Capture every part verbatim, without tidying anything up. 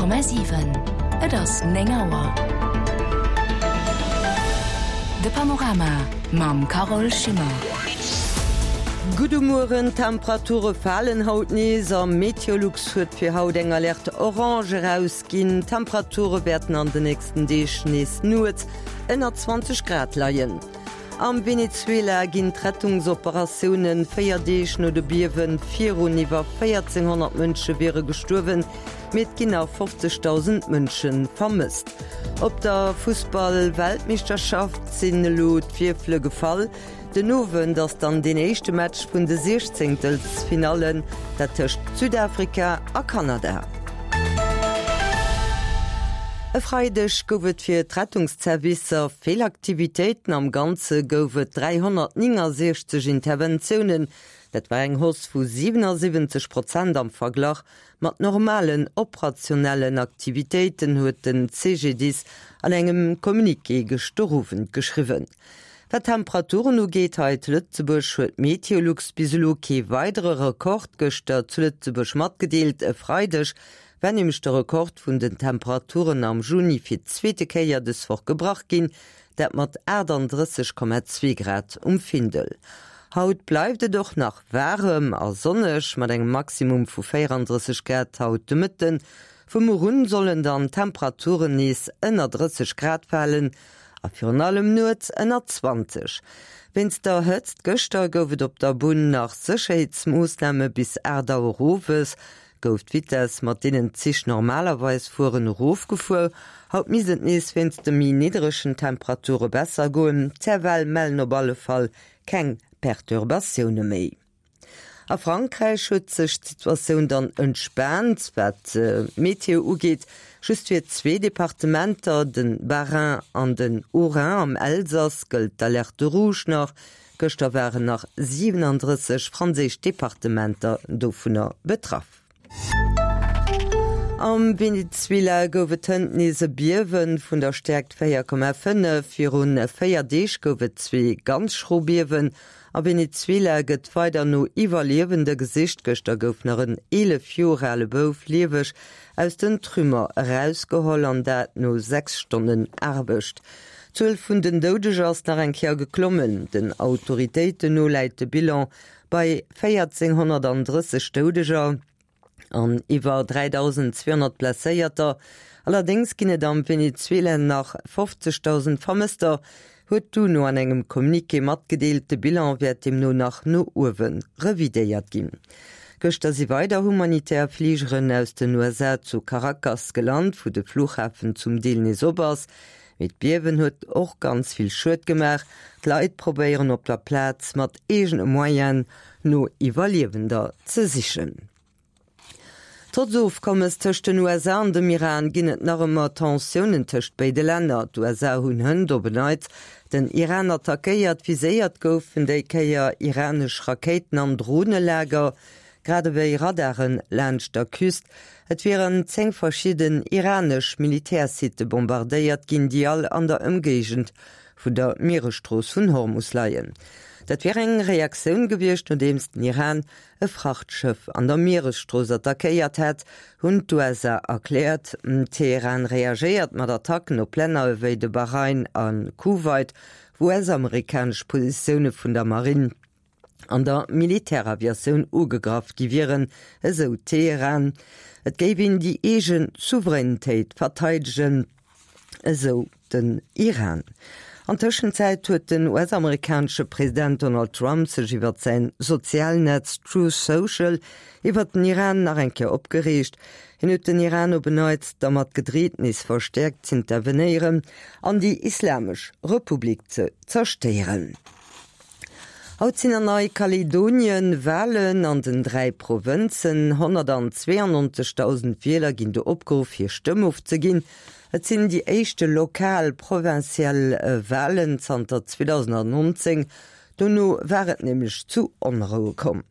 Komma siwen, Et ass néng Auer. De Panorama mam Carole Schimmer. Gudde Mueren, D'Temperature falen haut nees a Meteolux huet fir haut eng Alerte orange erausginn. D'Temperature wäerten an de nächsten Deeg nees nuets ënner zwanzeg Grad leien. Am Venezuela ginn d'Rettungsoperatioune véier Deeg no de Biewe virun. Iwwer véierzénghonnert Mënsche wiere gestuerwen, mee et ginn nach fofzegdausend Mënsche vermësst. Op der Fussball-Weltmeeschterschaft sinn elo d'Wierfele gefall. Den Owend ass dann deen éischte Match vun de Siechzéngtelsfinallen, dat tëscht Südafrika a Kanada. E Freideg gouf et fir d'Rettungszervicer vill Aktivitéiten. Am Ganze gouf et dräihonnertnéngasiechzeg Interventiounen. Dat war eng Hausse vu siwenasiwwenzeg Prozent am Verglach mat normalen operationellen Aktivitéiten, huet de C G D I S an engem Communiqué gëschter Owend geschriwwen. Wat d'Temperaturen ugeet hei zu Lëtzebuerg, huet Meteolux bis elo kee weidere Rekord gëschter zu Lëtzebuerg matgedeelt. E Freideg war nämlech de Rekord vun den Temperaturen am Juni fir d'zweete Kéier dës Woch gebrach ginn, dat mat aachtanddrësseg Komma zwee Grad um Findel. Haut bleift et och nach waarem a sonneg mat engem Maximum vu véierandrësseg Grad haut de Mëtten. Vu muer un sollen dann d'Temperaturen nees ënner drësseg Grad falen a virun allem nuets ënner zwanzeg. Wéinst der Hëtzt gëschter gouf et op der Bunn nach Sécherheetsmoossname bis aacht Auer owes. Gouf d'Vitess, mat deenen d'Zich normalerweis fueren, erofgefuer. Haut misst et nees wéinst de méi nidderegen Temperature besser goen. D'C F L mellen op alle Fall keng Perturbatioune méi. A Frankräich huet sech d'Situatioun dann entspaant, wat d'Meteo ugeet. Just fir zwee Departementer, de Bas-Rhin an den Haut-Rhin am Elsass, gëllt d'Alerte rouge nach. Gëschter waren nach siwenandrësseg franséisch Departementer dovunner betraff. Am Venezuela gouf et hënt nees e Biewe vun der Stäerkt véier Komma fënnef. Virun véier Deeg gouf et zwee ganz schro Biewen. A Venezuela gëtt weider no Iwwerliewende gesicht. Gëschter gouf nach en eelef Joer ale Bouf lieweg aus den Trümmer erausgeholl, an dat no sechs Stonnen Aarbecht. D'Zuel vun den Doudeger ass nach eng Kéier geklommen. Den Autoritéiten no läit de Bilan bei véierzénghonnertdrësseg Doudeger an iwwer dräidausenzweehonnert Blesséierter. Allerdéngs ginn et am Venezuela nach fofzegdausend Vermësster, huet d'UNO an engem Communiqué matgedeelt. De Bilan wäert deemno nach no uewe revidéiert ginn. Gëschter si weider humanitär Fligeren aus den U S A zu Caracas gelant, wou de Flughafen zum Deel nees op ass. Mee d'Biewen huet och ganz vill Schued gemaach. D'Leit probéieren op der Plaz mat eegene Moyenen no Iwwerliewender ze sichen. Trotz Ofkommes tëscht den U S A an dem Iran ginn et nach ëmmer Tensiounen tëscht béide Länner. D'U S A hunn hënt op en Neits den Iran attackéiert, viséiert goufen déi Kéier iranesch Rakéiten an Dronelager, grad ewéi Radaren laanscht der Küst. Et wieren zéng verschidden iranesch Militärsitte bombardéiert ginn, déi all an der Ëmgéigend vun der Mieresstrooss vun Hormus leien. Dat wier eng Reaktioun gewiescht, nodeems den Iran e Frachtschëff an der Mieresstrooss attackéiert hätt, hunn d'U S A erkläert. Teheran reagéiert mat Attacken op Länner ewéi de Bahrain a Kuwait, wou U S-amerikanesch Positioune vun der Marinn an der Militäraviatioun ugegraff gi wieren, esou Teheran. Et géif een déi eege Souveränitéit verteidegen, esou den Iran. An Tëschenzäit huet den U S-amerikanesche President Donald Trump sech iwwer säin Sozialnetz Truth Social iwwer den Iran nach eng Kéier opgereegt. Hien huet den Iran op en Neits dermat gedreet, nees verstäerkt z'intervenéieren an déi Islamesch Republik ze zerstéieren. Haut sinn an Neikaledonien Walen an den dräi Provënzen. honnertzweeannonzegdausend Wieler ginn do opgeruff, hir Stëmm ofzeginn. Et sinn déi éischte lokal provinziell Walen zanter zweedausendnonzéng. Dono war et nämlech zu Onroue komm.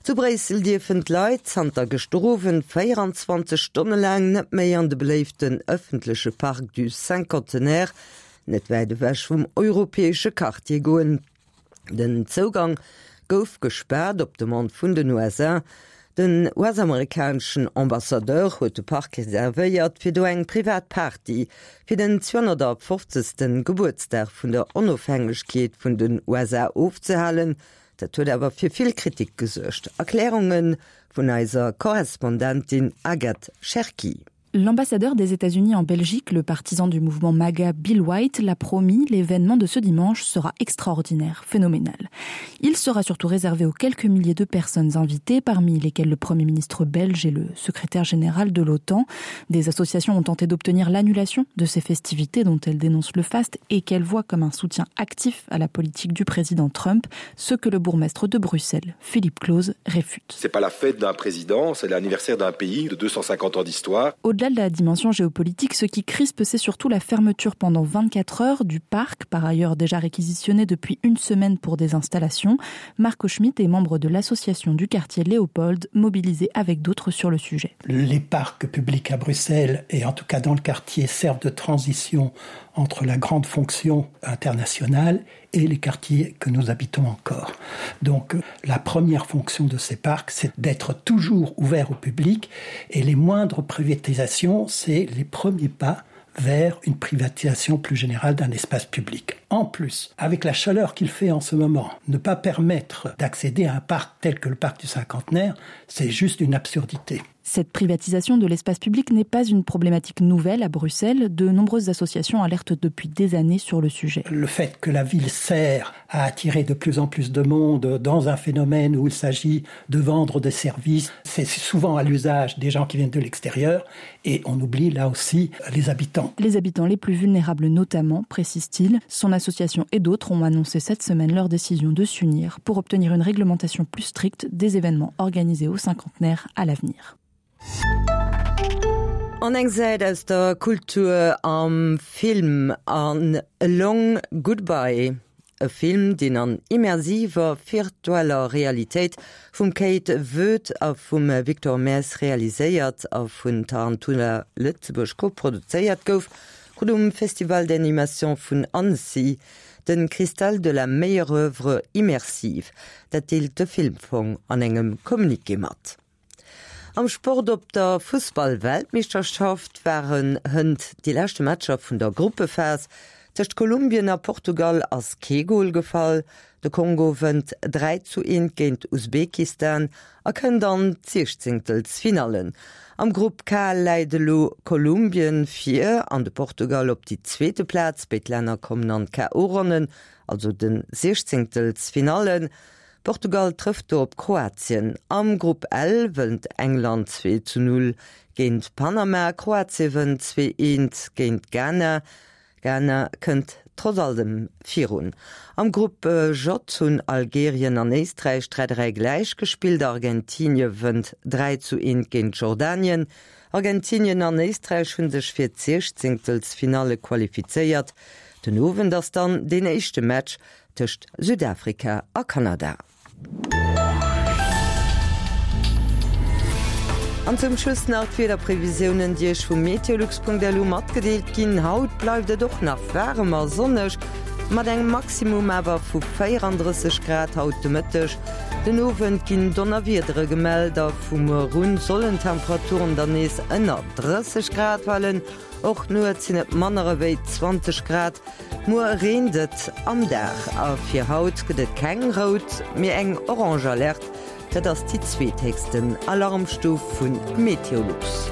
Zu Bréissel dierfen d'Leit zanter gëschter Owend véieranzwanzeg Stonne laang net méi an de beléiften ëffentleche Parc du Cinquantenaire, net wäit ewech vum europäesche Quartier goen. Den Zougang gouf gespaart op Demande vun den U S A. Den US-amerikaneschen Ambassadeur huet de Park reservéiert fir do eng privat Party fir den zweihunnertfofzegste Gebuertsdag vun der Onofhängegkeet vun den U S A ofzehalen. Dat huet awer fir vill Kritik gesuergt. Erklärunge vun eiser Korrespondentin Agathe Cherki. L'ambassadeur des États-Unis en Belgique, le partisan du mouvement MAGA Bill White, l'a promis, l'événement de ce dimanche sera extraordinaire, phénoménal. Il sera surtout réservé aux quelques milliers de personnes invitées, parmi lesquelles le Premier ministre belge et le secrétaire général de l'OTAN. Des associations ont tenté d'obtenir l'annulation de ces festivités dont elles dénoncent le faste et qu'elles voient comme un soutien actif à la politique du président Trump, ce que le bourgmestre de Bruxelles, Philippe Close, réfute. C'est pas la fête d'un président, c'est l'anniversaire d'un pays de deux cent cinquante ans d'histoire. Au-delà de la dimension géopolitique, ce qui crispe, c'est surtout la fermeture pendant vingt-quatre heures du parc, par ailleurs déjà réquisitionné depuis une semaine pour des installations. Marco Schmitt est membre de l'association du quartier Léopold, mobilisé avec d'autres sur le sujet. Les parcs publics à Bruxelles, et en tout cas dans le quartier, servent de transition entre la grande fonction internationale et les quartiers que nous habitons encore. Donc la première fonction de ces parcs, c'est d'être toujours ouvert au public et les moindres privatisations, c'est les premiers pas vers une privatisation plus générale d'un espace public. En plus, avec la chaleur qu'il fait en ce moment, ne pas permettre d'accéder à un parc tel que le parc du Cinquantenaire, c'est juste une absurdité. Cette privatisation de l'espace public n'est pas une problématique nouvelle à Bruxelles. De nombreuses associations alertent depuis des années sur le sujet. Le fait que la ville sert à attirer de plus en plus de monde dans un phénomène où il s'agit de vendre des services, c'est souvent à l'usage des gens qui viennent de l'extérieur et on oublie là aussi les habitants. Les habitants les plus vulnérables notamment, précise-t-il. Son association et d'autres ont annoncé cette semaine leur décision de s'unir pour obtenir une réglementation plus stricte des événements organisés au cinquantenaire à l'avenir. An eng Säit aus der Kultur am Film an A Long Goodbye. E Film, deen an immersiver virtueller Realitéit vum Kate Voet a vum Victor Maes realiséiert a vun Tarantula Lëtzebuerg koproduzéiert gouf, krut um Festival d'Animation vun Annecy den Cristal de la meilleure œuvre immersive. Dat deelt de Filmfong an engem Communiqué mat. Am Sport op der Fussball-Weltmeeschterschaft waren hënt déi leschte Matcher vun der Gruppephas. Tëscht Kolumbien a Portugal ass kee Gol gefall. De Kongo wënnt dräi zu eent géint Usbekistan a kënnt an d'Siechzéngtelsfinallen. Am Grupp K läit elo Kolumbien vir an de Portugal op déi zweete Plaz. Béid Länner kommen an d'K O-Ronnen, also de Siechzéngtelsfinallen. Portugal trëfft do op Kroatien. Am Grupp L wënnt England zwee zu null géint Panama, Kroatie wënnt zwee eent géint Ghana. Ghana kënnt trotz allem virun. Am Grupp J hunn Algerien an Éisträich dräi dräi gläich gespillt, Argentinie wënnt dräi zu eent géint Jordanien. Argentinien an Éisträich hunn sech fir d'Siechzéngtelsfinalle qualifizéiert. Den Owend ass dann den éischte Match tëscht Südafrika a Kanada. An zum Schluss nach d'Wiederprevisiounen, déi Iech vu meteolux Punkt L U matgedeelt ginn. Haut bleift et och nach waarem a sonneg, mat engem Maximum awer vu véierandrësseg Grad haut de Mëtteg. Den Owend ginn Donnerwiedere gemellt a vu muer un sollen d'Temperaturen dann nees ënner drësseg Grad falen. Och nuets sinn et manner ewéi zwanzeg Grad. Muer reent et am Dag a fir haut gëtt et keng rout, mee eng orange Alerte. Dat ass déi zweethéchsten Alarmstuf vu Meteolux.